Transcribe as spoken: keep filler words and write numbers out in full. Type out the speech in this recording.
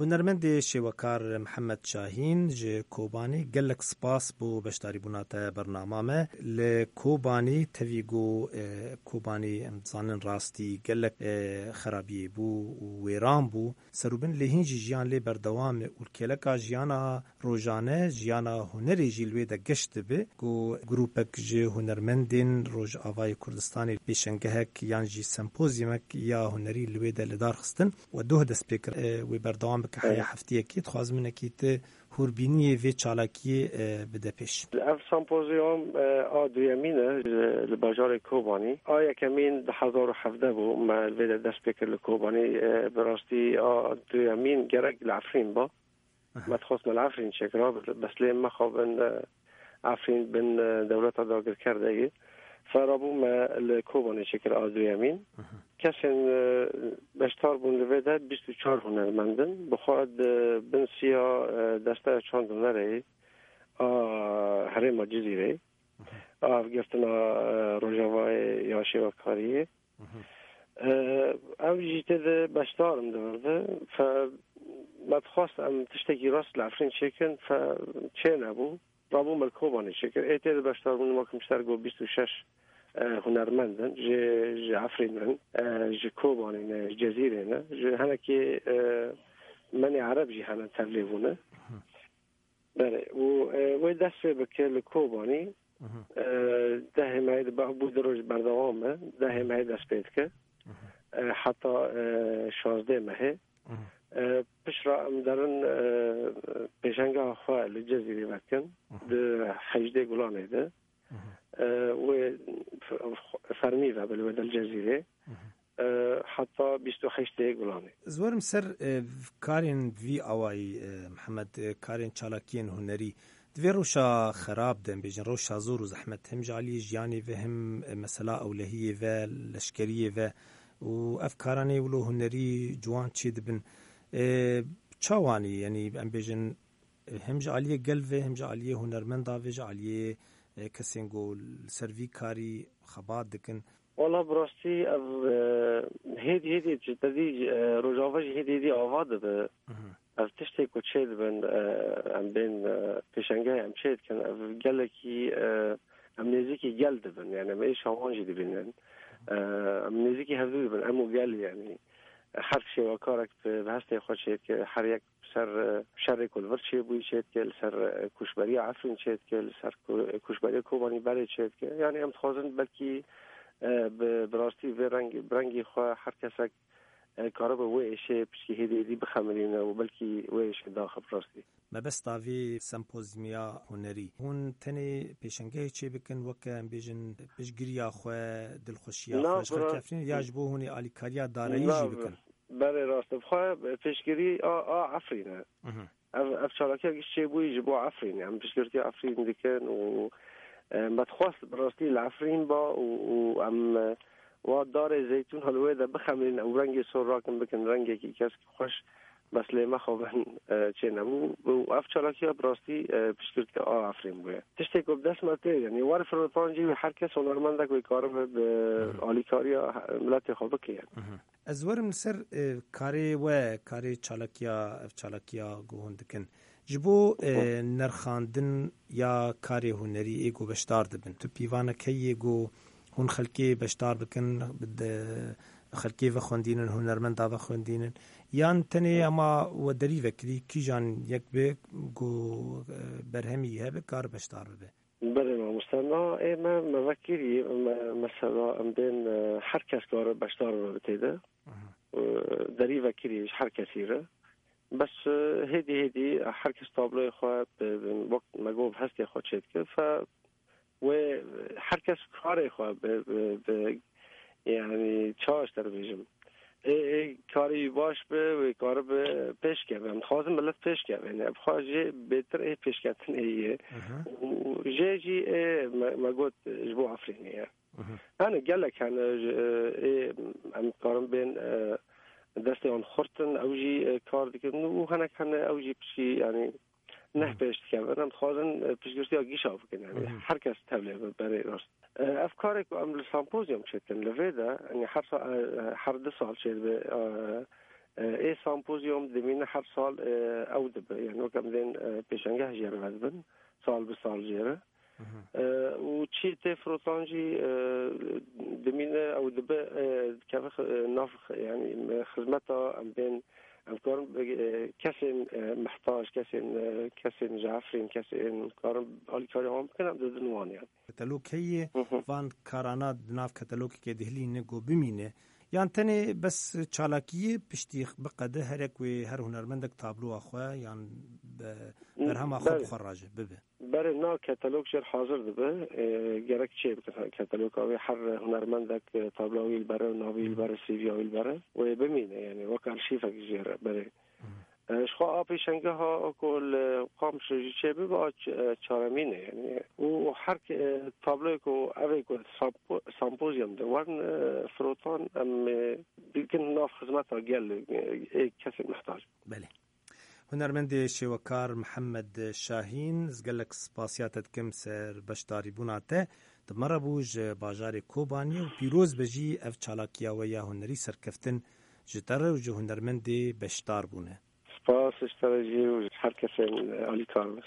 Hunermendê şêwekar Mihemed Şahîn ji Kobanî, gelek spas bo beşdarîbûna te bernama me. Li Kobanî tevî ku, e, Kobanî em dizanin rastî gelek, e, xerabiyê bû û wêran bû. Serûbin lê hîn jî jiyan lê berdewam e û li kêleka jiyana rojane, jiyana hunerê jî li wê de geş dibe ku grûpek ji hunermendên Rojavayê Kurdistanê pêşengehek yan jî sempozyumek ya hunerî li wê de li dar xistin. We doh dest pê kir, e, wê berdewam bike heya heftiyekê. Dixwazim hinekî tu hûrbîniyê vê çalakiyê, e, bide pêş. Ev sempozyum, e, a duyemîn e, e, li bajarê Kobanî. A yekemîn du hezar û hevdeh bû, me li vê de dest pê kir li Kobanî. E, bi rastî a duyemîn gerek li Efrîn ba. Aha. Me dixwest me li Efrîn çêkira, bes lê me xwe bin, e, Efrîn bin, e, dewleta dagirker de ye. Fe rabû me li Kobanê çêkir a duyemîn. Aha. Kesên, e, beşdar bûn li vê de bîst û çar hunermend in. Bi xwe di bin siya, e, desteya çand hunerê a herêma Cizîrê. Aha. A hevgirtina, e, Rojavayê ya şêwekariyê. Mhm. Ev jî tê de beşdar im di vir de. Fe me dixwest em tiştekî rast li Efrîn çêkin, fe çê nebû. Rabû me li Kobanê çêkir. Ê tê de beşdar bûn, wek min ji te re got bîst û şeş, e, hunermend in. Ji, ji Efrîn in, e, ji Kobanê ne, ji Cezîrê ne. Ji hinekê, e, menê Ereb jî hene tevlê bûne. Mhm. Belê. Û, e, wê dest pê bike li Kobanî. Mhm. E, dehê mehê de bû du roj berdewam e. Dehê mehê dest pê dike. Mhm. E, heta, e, şazdeh mehê. Mhm. E, piştre em derin, e, pêşengeha xwe li Cezîrê vekin. Mhm. Di hejdê Gulanê de. Mhm. E, wê f-, f-, fermî ve, belê wê del Cezîrê. Mhm. E, heta bîst û heştê Gulanê. Ez werim ser, e, karên vî awayî, e, Mihemed, e, karên çalakiyên hunerî. Di vê rewşa xerab de, em bêjin, rewşa zor û zehmet, hem ji aliyê jiyanê ve, hem, e, mesela ewlehiyê ve, leşkeriyê ve û ev karanê wilo hunerî ciwan çê dibin. E, çawanî, yanî, em bêjin, e, hem ji aliyê gel ve, hem ji aliyê hunermenda ve, ji aliyê, e, kesên ku li ser vî karî xebat dikin. Wala bi rastî ev, e, hêdî hêdî ji te dî, e, Rojava jî hêdî hêdî ava dibe. Mhm. Ev tiştê ku çê dibin, e, em bên, e, pêşengehê em çê dikin, ev gelekî, e, em nêzîkî gel dibin. Yani em êşa wan jî dibînin. E, em nêzîkî hevdû dibin, em û gel yani. Her şêwekarek bi, bi hestê xwe çê dike, her yek ser, e, şerê ku li vir çêbûyî çê dike, li ser, e, koçberiya Efrîn çê dike, li ser ko-, koçberiya Kobanî berê çê dike. Yani em dixwazin belkî, e, bi, bi rastî vê rengî, bi rengî xwe her kesek, e, karibe wê êşê piştî hêdî hêdî bixemilîne û belkî wê êşê daxe bi rastî. Mebesta vê sempozyumiya hunerî, hûn tenê pêşengehê çê bikin, weke em bêjin piştgiriya xwe, dilxweşiya Na, xwe ji xelkê bira- Efrînê ya ji bo hûnê alîkariya darayî Na, jî bikin? Belê rast e. Bi xwe piştgirî a, a Efrîn e. Mhm. Ev, ev çalakiya giş çêbûyî ji bo Efrînê. Em piştgirtiya Efrîn dikin û, e, me dixwest bi rastî li Efrîn ba û, û em, e, wa darê zeytûn li wê de bixemilînin, ew rengê sor rakin bikin rengekî kesk xweş, bes lê me xwe bin, e, çê nebû. Û ev çalakiya bi rastî, e, piştgirtiya a Efrîn bûye. Tiştê ku bi dest me tê, yanî warê firmetancî wî her kes hunermendek wê karibe bi Mhm. alîkariya he-, miletê xwe bike yani. Mhm. Ez werim li ser, e, karê we, karê çalakiya, ev çalakiya ku hûn dikin. Ji bo, e, nerxandin ya karê hunerî ê ku beşdar dibin, tu pîvanek heye ku hûn xelkê beşdar bikin, bi de-, xelkê vexwendînin, hunermenda vexwendînin, yan tenê hema we derî vekirî, kîjan yek be ku, e, berhemî hebe, kar beşdar bibe? Belê mamoste, na ê me, me vekirî, me, mesela em bên, e, her kes kare beşdar bibe tê de. Mhm. E, derî vekirî ji her kesî re. Bes, e, hêdî hêdî her kes tabloyê xwe bi, bi, wek me got, bi hestê xwe çêdike. Fe wê her kes karê xwe bi, bi, bi, yani çawa ji te re bêjim. Ê, ê karî wî baş be, wê karibe pêş keve. Em dixwazin milet pêş keve. Yani, bi xwe jê bêtir ê pêşketinê ye. Aha. Û jê jî ê me, me got ji bo Efrînê ye. Mhm. Hene gelek hene, ji, ê, em karin bên, e, destê wan xurt in, ew jî, e, kar dikin û hinek hene ew jî pişkî, yani, neh Mhm. pêş dikevin. Em dixwazin, e, piştgirtiya gişa bikin, yani, Mhm. her kes tevlê be, berê rast. E, ev karê ku em li sempozyum çêtin, li vê de, yani, her sa-, e, her du sal çêdibe, e, E, ê sempozyum dimîne her sal, e, ew dibe. Yani wek em dên, e, pêşengeh jê re vedibin. Sal bi sal jê re. E, û çî tê firotan jî, e, dimîne ew dibe, e, dikeve xi-, e, nav xi-, yani, e, xizmeta em bên, em karin, e, kesên, e, mihtac, kesên, e, kesên ji Efrîn, kesên karin alîkariya wan bikin, em didin wan yani. Ketelok heye, Hı hı. van karana di nav ketelokekê dihilîne ku bimîne. Yan tenê bes çalakiyê piştî biqede herek wê her hunermendek tabloa xwe yan be-, berhema xwe Belê. bi xwe raje bibe. Berê na ketelok jêr hazir dibe, e, gerek çê bikin. Ketaloka wê her hunermendek, e, tabloya wî li bere, navê wî li bere, C V'ya wî li bere. Wê bimîne, yani wek arşîvek jêr berê. E, ji xwe a pêşengeha ku li Qamişlo jî çê bibe, a ç-, e, çaremîn e, yani. Û her ke-, e, tabloyê ku ev ê ku sampo-, sempozyum de werin, e, firotan, em, e, dikin nav xizmeta gel, e, ê kesên mihtac. Belê. Hunermendê şêwekar Mihemed Şahîn, ez gelek spasiya te dikim ser beşdarîbûna te. Di me re bû ji bajarê Kobaniyê û pîroz be jî ev çalakiya we ya hunerî serkeftin ji te re û ji hunermendê beşdar bûne. Spas ji te re jî û ji her kesên alîkar be.